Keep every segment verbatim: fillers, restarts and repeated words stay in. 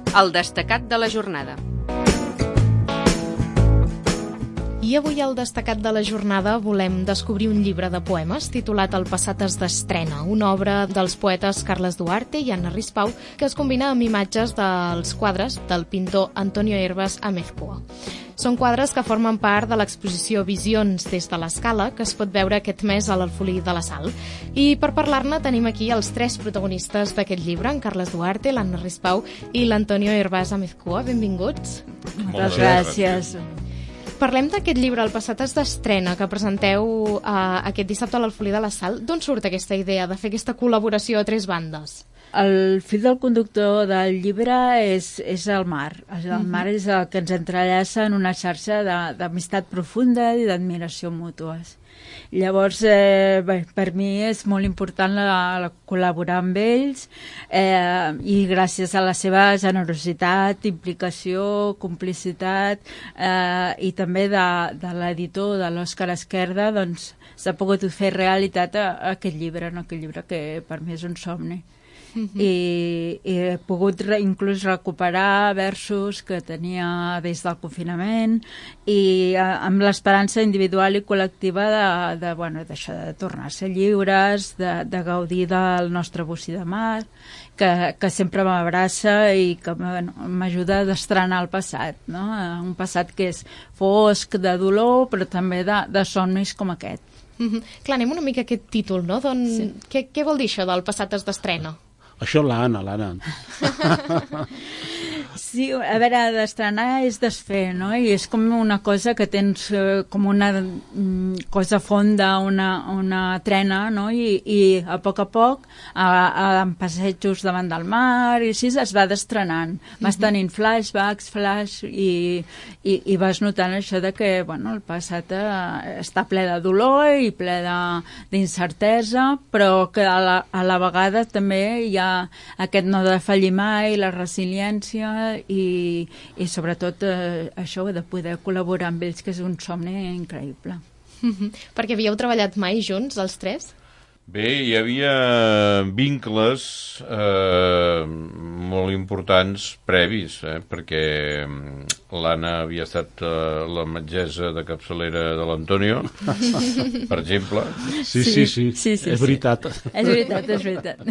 El destacat de la jornada. I avui al destacat de la jornada volem descobrir un llibre de poemes titulat El passat es d'estrena, una obra dels poetes Carles Duarte i Anna Rispau que es combina amb imatges dels quadres del pintor Antonio Hervas Amezcua. Són quadres que formen part de l'exposició Visions des de l'Escala, que es pot veure aquest mes a l'Alfolí de la Sal. I per parlar-ne tenim aquí els tres protagonistes d'aquest llibre, en Carles Duarte, l'Anna Rispau i l'Antonio Hervas Amezcua. Benvinguts. Moltes gràcies. Parlem d'aquest llibre, El passat es d'estrena, que presenteu eh, aquest dissabte a l'Alfolí de la Sal. D'on surt aquesta idea de fer aquesta col·laboració a tres bandes? El fil del conductor del llibre és, és el mar. El uh-huh. mar és el que ens entrellaça en una xarxa d'amistat profunda i d'admiració mútues. Llavors, eh, bé, per mi és molt important la, la col·laborar amb ells eh, i gràcies a la seva generositat, implicació, complicitat eh, i també de, de l'editor, de l'Òscar Esquerda, doncs s'ha pogut fer realitat a, a aquest llibre, no? Aquest llibre que per mi és un somni. Uh-huh. I, i he pogut re, inclús recuperar versos que tenia des del confinament i a, amb l'esperança individual i col·lectiva de, de, bueno, d'això, de tornar a ser lliures, de, de gaudir del nostre bocí de mar, que, que sempre m'abraça i que bueno, m'ajuda a destrenar el passat, no? Un passat que és fosc, de dolor, però també de, de somnis com aquest. Uh-huh. Clar, anem una mica a aquest títol, no? Don... Sí. Què, què vol dir això del passat es d'estrena? Això l'Anna, l'Anna. Sí, a veure, d'estrenar és desfer, no? I és com una cosa que tens eh, com una mm, cosa fonda, una, una trena, no? I, i a poc a poc, a, a, en passejos davant del mar, i així es va destrenant. Vas tenint flashbacks, flash, i, i, i vas notant això de que, bueno, el passat eh, està ple de dolor i ple d'incertesa, però que a la, a la vegada també hi ha aquest no defallir mai, la resiliència i, i sobretot eh, això de poder col·laborar amb ells, que és un somni increïble. Mm-hmm. Perquè havíeu treballat mai junts, els tres? Bé, hi havia vincles eh, molt importants previs, eh, perquè l'Anna havia estat eh, la metgessa de capçalera de l'Antonio, per exemple. Sí, sí, sí, sí, sí, sí, és veritat. Sí. És veritat, és veritat.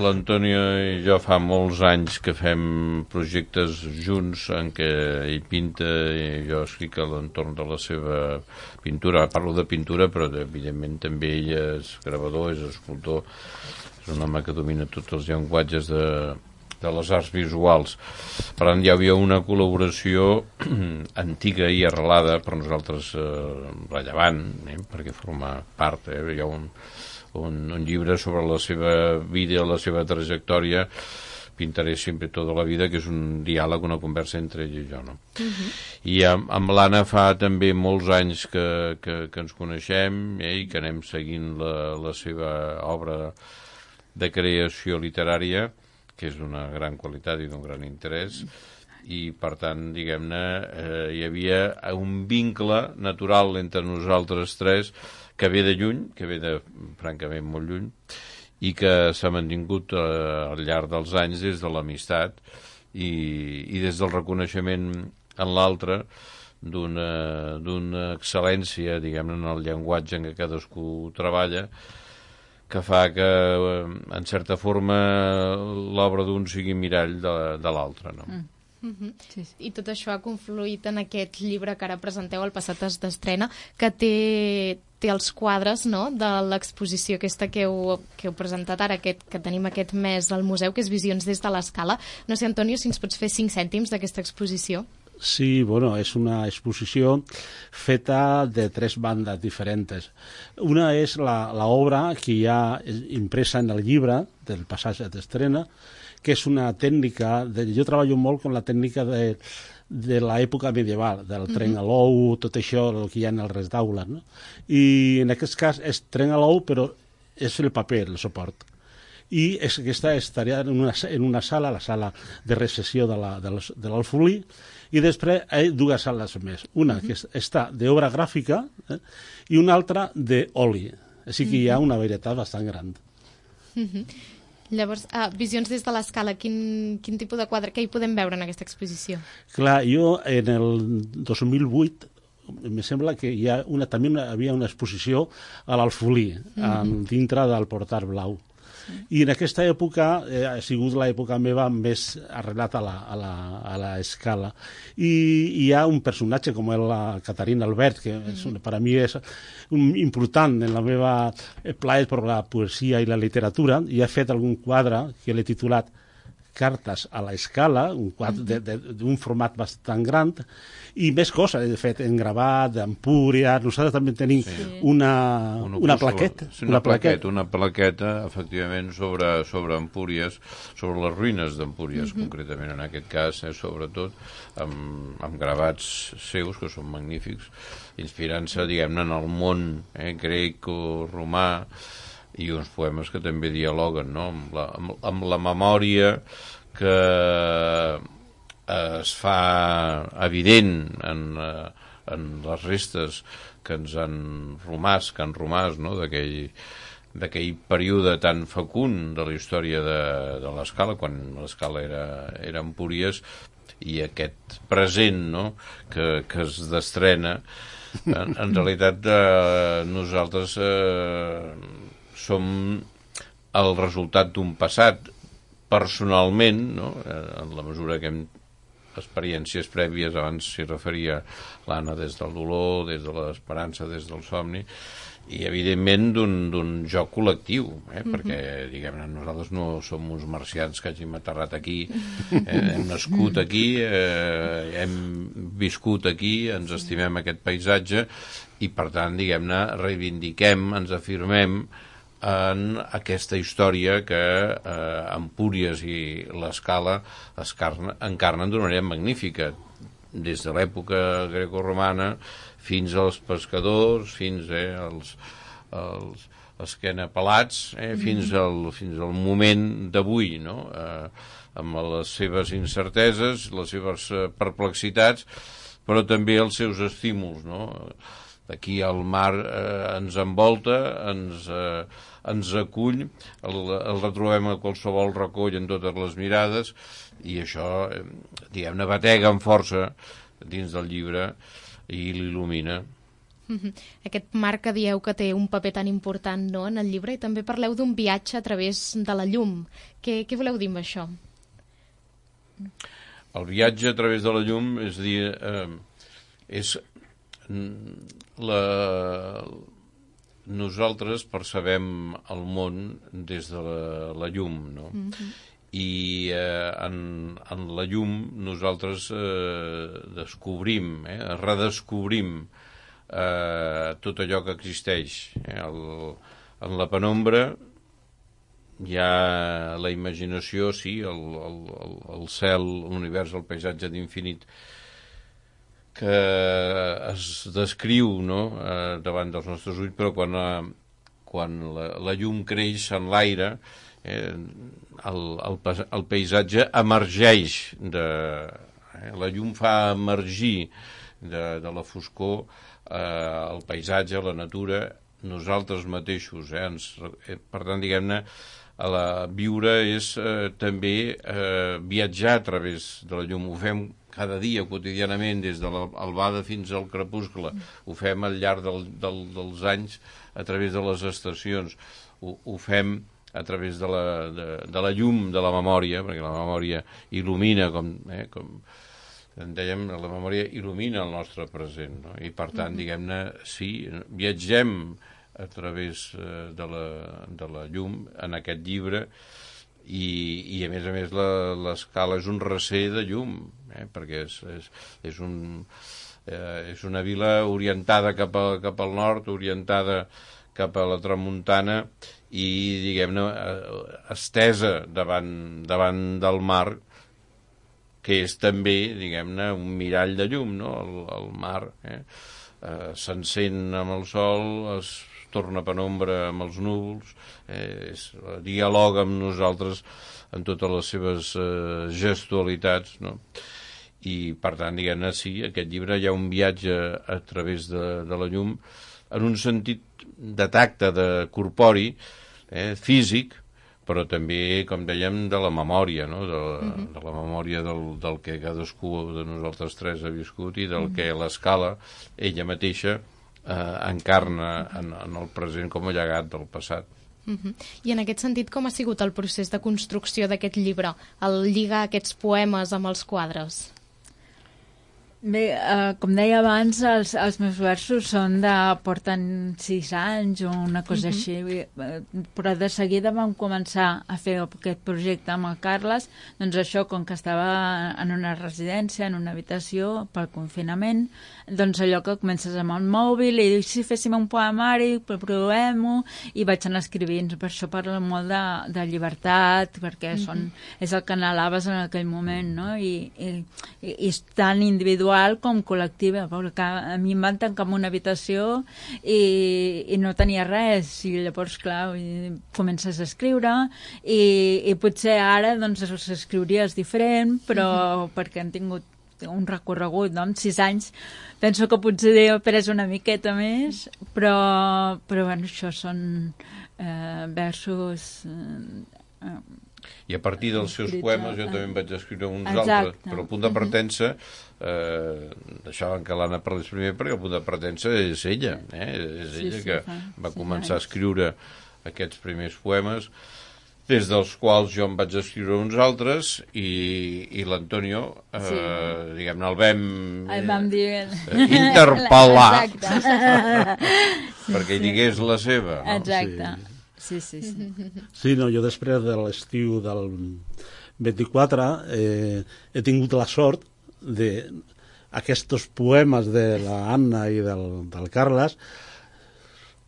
L'Antonio i jo fa molts anys que fem projectes junts en què ell pinta i jo escric a l'entorn de la seva pintura. Parlo de pintura, però evidentment també ell és gravador, és escultor, és un home que domina tots els llenguatges de, de les arts visuals. Per tant, hi havia una col·laboració antiga i arrelada, per nosaltres eh, rellevant, eh, perquè forma part, eh, hi ha un, un, un llibre sobre la seva vida, la seva trajectòria, Pintaré sempre tota la vida, que és un diàleg, una conversa entre ell i jo, no? Uh-huh. I amb, amb l'Anna fa també molts anys que, que, que ens coneixem eh, i que anem seguint la, la seva obra de creació literària, que és d'una gran qualitat i d'un gran interès, i per tant, diguem-ne, eh, hi havia un vincle natural entre nosaltres tres que ve de lluny, que ve de, francament, molt lluny, i que s'ha mantingut eh, al llarg dels anys des de l'amistat i, i des del reconeixement en l'altre d'una d'una excel·lència, diguem-ne, en el llenguatge en què cadascú treballa, que fa que, en certa forma, l'obra d'un sigui mirall de, de l'altre, no? Mm. Mm-hmm. Sí, sí. I tot això ha confluït en aquest llibre que ara presenteu, El passat es d'estrena, que té, té els quadres, no?, de l'exposició aquesta que heu, que heu presentat ara, aquest, que tenim aquest mes al museu, que és Visions des de l'Escala. No sé, Antonio, si ens pots fer cinc cèntims d'aquesta exposició. Sí, bueno, és una exposició feta de tres bandes diferents. Una és l'obra que hi ha impresa en el llibre del passat d'estrena, que és una tècnica, de, jo treballo molt amb la tècnica de, de l'època medieval, del uh-huh. tren a l'ou, tot això, el que hi ha en els retaules, no? I en aquest cas és tren a l'ou, però és el paper, el suport. I és, aquesta estaria en una, en una sala, la sala de recepció de l'Alfolí, i després hi ha dues sales més. Una uh-huh. que està d'obra gràfica eh, i una altra d'oli. Així que uh-huh. hi ha una varietat bastant gran. Uh-huh. Llavors, ah, visions des de l'escala, quin, quin tipus de quadre, què hi podem veure en aquesta exposició? Clar, jo en el dos mil vuit me sembla que hi ha una, també una, havia una exposició a l'Alfolí, mm-hmm. dintre del Portal Blau. Sí. I en aquesta època eh, ha sigut l'època meva més arrelat a la, a la, a la escala. I hi ha un personatge com la Caterina Albert, que és, mm-hmm. per a mi és un, important en la meva plaer per la poesia i la literatura, i he fet algun quadre que l'he titulat Cartes a l'escala, un quadre d'un format bastant gran, i més coses, de fet, en gravat, d'Empúria. Nosaltres també tenim sí. una, una, una plaqueta. Sí, una, una plaqueta, una plaqueta, efectivament, sobre, sobre Empúries, sobre les ruïnes d'Empúries, mm-hmm. concretament en aquest cas, eh, sobretot, amb, amb gravats seus, que són magnífics, inspirant-se, diguem-ne, en el món eh, grec o romà, i uns poemes que també dialoguen, no?, amb la, amb, amb la memòria que es fa evident en, en les restes que ens han romàs, que han romàs, no?, d'aquell d'aquell període tan fecund de la història de, de l'escala, quan l'escala era, era Empúries, i aquest present, no?, que, que es destrena. En, en realitat, eh, nosaltres eh, som el resultat d'un passat. Personalment, no?, en la mesura que hem experiències prèvies, abans s'hi referia l'Anna, des del dolor, des de l'esperança, des del somni, i evidentment d'un joc col·lectiu, eh? Mm-hmm. Perquè, diguem-ne, nosaltres no som uns marcians que hàgim aterrat aquí, eh? Hem nascut aquí, eh? Hem viscut aquí, ens estimem aquest paisatge, i per tant, diguem-ne, reivindiquem, ens afirmem en aquesta història que eh, Empúries i l'Escala encarnen d'una manera magnífica, des de l'època grecoromana fins als pescadors, fins eh, als, als esquenapelats, eh, fins, al, fins al moment d'avui, no?, eh, amb les seves incerteses, les seves perplexitats, però també els seus estímuls, no? Aquí el mar eh, ens envolta, ens, eh, ens acull, el, el retrobem a qualsevol racó i en totes les mirades, i això, eh, diguem-ne, batega amb força dins del llibre i l'il·lumina. Mm-hmm. Aquest mar que dieu que té un paper tan important, no?, en el llibre, i també parleu d'un viatge a través de la llum. Què, què voleu dir amb això? El viatge a través de la llum, és a dir, eh, és... La... Nosaltres percebem el món des de la, la llum, no? Mm-hmm. I eh, en, en la llum nosaltres eh, descobrim, eh, redescobrim eh, tot allò que existeix. Eh? El, en la penombra hi ha la imaginació, sí, el, el, el cel, l'univers, el paisatge d'infinit, que es descriu, no?, eh, davant dels nostres ulls, però quan, eh, quan la, la llum creix en l'aire, eh, el, el, el paisatge emergeix de... Eh, la llum fa emergir de, de la foscor eh, el paisatge, la natura, nosaltres mateixos. Eh, ens, eh, per tant, diguem-ne, a la, viure és eh, també eh, viatjar a través de la llum. Ho fem cada dia, quotidianament, des de l'albada fins al crepuscle. Ho fem al llarg del, del, dels anys a través de les estacions. Ho, ho fem a través de la, de, de la llum de la memòria, perquè la memòria il·lumina, com, eh, com en dèiem, la memòria il·lumina el nostre present, no? I per tant, diguem-ne, sí, viatgem a través eh, de, la, de la llum en aquest llibre, i, i a més a més l'escala és un recer de llum, eh, perquè és, és, és, un, eh, és una vila orientada cap, a, cap al nord, orientada cap a la tramuntana i, diguem-ne, estesa davant, davant del mar, que és també, diguem-ne, un mirall de llum, no?, el, el mar, eh? Eh, s'encén amb el sol, es torna penombra amb els núvols, eh, és, dialoga amb nosaltres en totes les seves eh, gestualitats, no? I, per tant, diguem-ne, sí, aquest llibre hi ha un viatge a través de, de la llum, en un sentit de tacte, de corpori, eh, físic, però també, com dèiem, de la memòria, no? de, uh-huh. de la memòria del, del que cadascú de nosaltres tres ha viscut i del uh-huh. que l'escala, ella mateixa, eh, encarna en, en el present com a llegat del passat. Uh-huh. I en aquest sentit, com ha sigut el procés de construcció d'aquest llibre, el lligar aquests poemes amb els quadres? Bé, eh, com deia abans, els, els meus versos són de... porten sis anys o una cosa uh-huh. així, però de seguida vam començar a fer aquest projecte amb el Carles, doncs això, com que estava en una residència, en una habitació, pel confinament, doncs allò que comences amb el mòbil i dius, si féssim un poemari, provem-ho, i vaig anar escrivint. Per això parlo molt de, de llibertat, perquè uh-huh. són, és el que anhelaves en aquell moment, no? I, i, i és tan individual com col·lectiva, perquè a mi em van tancar en una habitació i, i no tenia res, i llavors, clar, i comences a escriure i, i potser ara doncs escriuries diferent, però uh-huh. perquè han tingut un recorregut, no? En sis anys penso que potser he après una miqueta més, però, però bueno, això són eh, versos... Eh, I a partir dels seus poemes jo també en vaig escriure uns Exacte. altres, però el punt de partença, eh, deixaven que l'Anna parlés primer, perquè el punt de partença és ella, eh? és ella sí, sí, que fa, va començar a escriure aquests primers poemes, des dels quals jo em vaig escriure uns altres, i, i l'Antonio, eh, sí. diguem-ne, el vam, el vam dir... eh, interpel·lar perquè hi digués la seva. No? Exacte. Sí. Sí, sí, sí. Sí, no, jo després de l'estiu del vint-i-quatre eh, he tingut la sort de aquests poemes de la Anna i del, del Carles.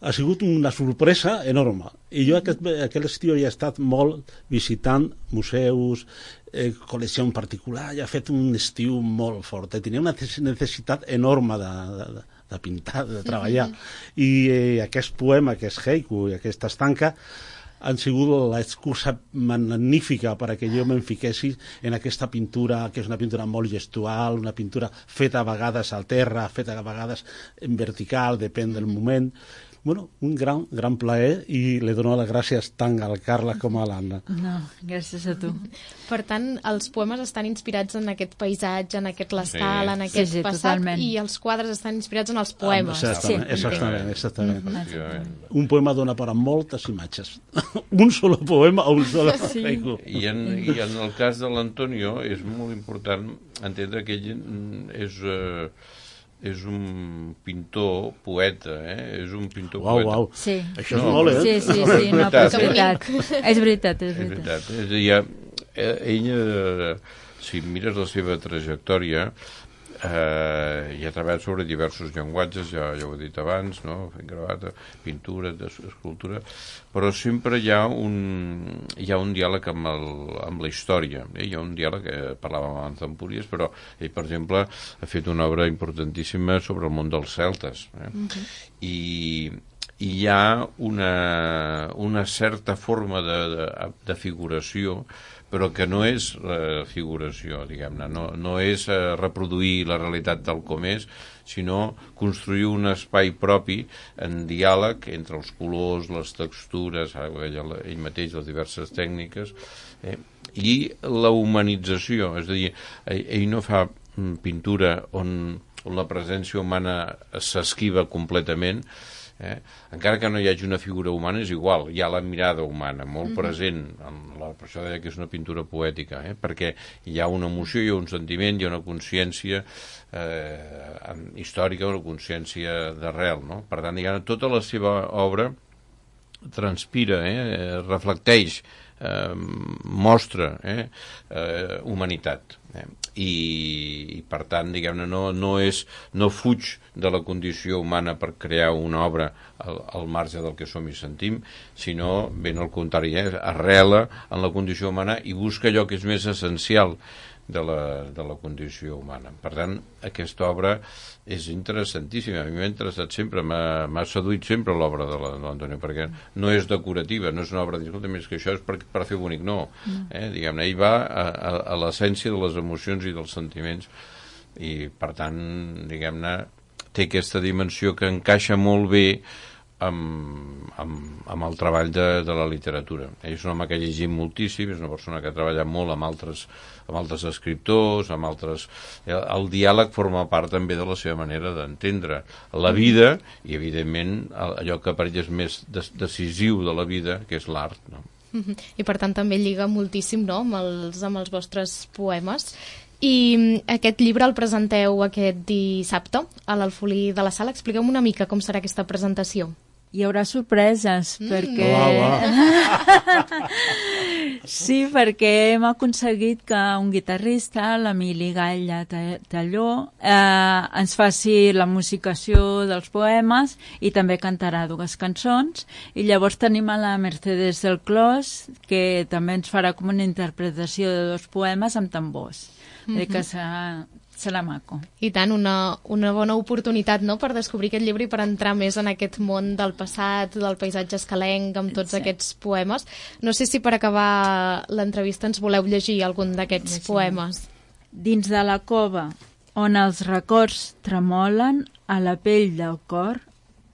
Ha sigut una sorpresa enorme. I jo aquest, aquest estiu he estat molt visitant museus, eh, col·lecció en particular, i he fet un estiu molt fort. Tenia una necessitat enorme de, de, de pintar, de treballar. I eh, aquest poema, aquest haiku i aquesta estanca han sigut l'excusa magnífica perquè jo me'n fiquessi en aquesta pintura, que és una pintura molt gestual, una pintura feta a vegades al terra, feta a vegades en vertical, depèn del moment. Bueno, un gran, gran plaer, i li dono les gràcies tant al Carles com a l'Anna. No, gràcies a tu. Per tant, els poemes estan inspirats en aquest paisatge, en aquest l'estal, sí. en aquest sí, sí, passat, totalment. I els quadres estan inspirats en els poemes. Exactament, sí. exactament. exactament. Mm-hmm. Un poema dona per a moltes imatges. Un sol poema o un sol sí. haiku. I en, I en el cas de l'Antonio és molt important entendre que ell és... Eh, és un pintor poeta, eh? És un pintor uau, poeta. Uau, sí. Això és no, molt, eh? Sí, sí, sí, sí no, però és veritat. És veritat, és veritat. És veritat. És a dir, ella, si mires la seva trajectòria, eh, i ha treballat sobre diversos llenguatges, ja, ja ho he dit abans, no? Fent gravata, pintura, escultura, però sempre hi ha un, hi ha un diàleg amb, el, amb la història. Eh? Hi ha un diàleg, que parlàvem abans d'Empúries, però ell, per exemple, ha fet una obra importantíssima sobre el món dels celtes. Eh? Uh-huh. I, i hi ha una, una certa forma de, de, de figuració, però que no és eh, figuració, diguem-ne, no, no és eh, reproduir la realitat tal com és, sinó construir un espai propi en diàleg entre els colors, les textures, ell, ell mateix, les diverses tècniques, eh, i la humanització, és a dir, ell, ell no fa pintura on, on la presència humana s'esquiva completament. Eh? Encara que no hi hagi una figura humana, és igual, hi ha la mirada humana molt mm-hmm. present, en la, per això deia que és una pintura poètica, eh? Perquè hi ha una emoció, hi ha un sentiment, hi ha una consciència eh, històrica, una consciència d'arrel, no? Per tant, diguem, tota la seva obra transpira, eh? reflecteix, eh, mostra eh? Eh, humanitat. Eh? I, i per tant, diguem-ne, no, no, és, no fuig de la condició humana per crear una obra al, al marge del que som i sentim, sinó, ben al contrari, eh? arrela en la condició humana i busca allò que és més essencial de la, de la condició humana. Per tant, aquesta obra és interessantíssima. A mi m'ha interessat sempre, m'ha seduït sempre l'obra de l'Antonio, perquè no és decorativa, no és una obra de escolta, més que això és per, per fer bonic, no. Eh? Diguem-ne, ell va a, a, a l'essència de les emocions i dels sentiments, i per tant, diguem-ne, té aquesta dimensió que encaixa molt bé amb, amb, amb el treball de, de la literatura. Ell és un home que ha llegit moltíssim, és una persona que ha treballat molt amb altres, amb altres escriptors, amb altres... El diàleg forma part també de la seva manera d'entendre la vida i, evidentment, allò que per ell és més decisiu de la vida, que és l'art, no? I per tant també lliga moltíssim, no?, amb els, amb els vostres poemes. I aquest llibre el presenteu aquest dissabte a l'Alfolí de la Sala. Expliqueu-me una mica com serà aquesta presentació. Hi haurà sorpreses, mm. perquè... Va, va. Sí, perquè hem aconseguit que un guitarrista, l'Emili Gall Talló, eh, ens faci la musicació dels poemes i també cantarà dues cançons. I llavors tenim a la Mercedes del Clos, que també ens farà com una interpretació de dos poemes amb tambors. Mm-hmm. Que serà, serà maco. I tant, una, una bona oportunitat, no?, per descobrir aquest llibre i per entrar més en aquest món del passat, del paisatge escalenc, amb tots sí. aquests poemes. No sé si per acabar l'entrevista ens voleu llegir algun d'aquests sí. poemes. Dins de la cova, on els records tremolen a la pell del cor,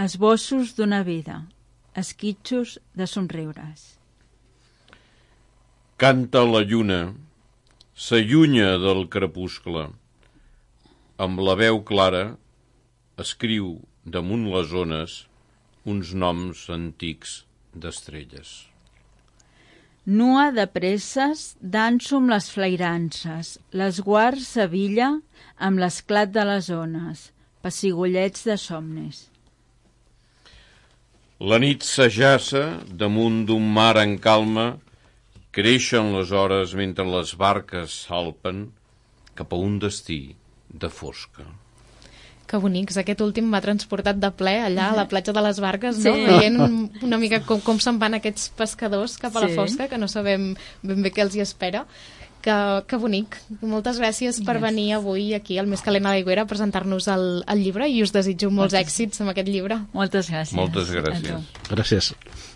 esbossos d'una vida, esquitxos de somriures. Canta la lluna, s'allunya del crepuscle. Amb la veu clara escriu damunt les ones uns noms antics d'estrelles. Nua de presses, danso amb les flairances, les guards Sevilla amb l'esclat de les ones, pessigolets de somnis. La nit s'ajaça damunt d'un mar en calma. Creixen les hores mentre les barques salpen cap a un destí de fosca. Que bonics, aquest últim m'ha transportat de ple allà a la platja de les Barques, no? Sí. Veient una mica com, com se'n van aquests pescadors cap a sí. la fosca, que no sabem ben bé què els hi espera. Que, que bonic. Moltes gràcies per yes. venir avui aquí al Més calent a l'aigüera a presentar-nos el, el llibre i us desitjo molts Moltes. èxits amb aquest llibre. Moltes gràcies. Moltes gràcies. Gràcies.